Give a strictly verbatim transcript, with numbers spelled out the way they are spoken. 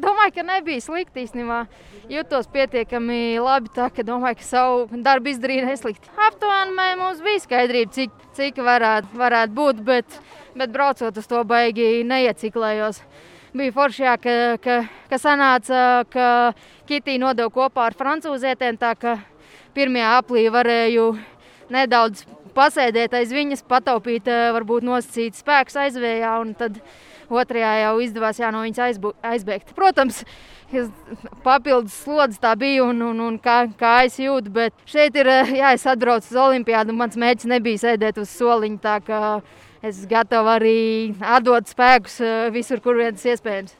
Domāju, ka nebija slikti īstenībā. Jutos pietiekami labi, tā ka domāju, ka savu darbu izdarīju neslikti. Aptuveni mums bija skaidrība, cik, cik varētu, varētu būt, bet, bet braucot uz to baigi neieciklējos. Bija forši, jā, ka, ka, ka sanāca, ka Kitī nodeva kopā ar francūzietēm, tā ka pirmajā aplī varēju nedaudz pasēdēt aiz viņas, pataupīt, varbūt nosacīt spēkus aizvējā, un tad otrajā jau izdevās jā, no viņas aizbu, aizbēgt. Protams, papildus slodzes tā bija un, un, un kā, kā es jūtu, bet šeit ir, jā, es atbraucu uz olimpiādu, un mans mērķis nebija sēdēt uz soliņa, tā ka es gatavu arī atdot spēkus visur, kur viens iespējams.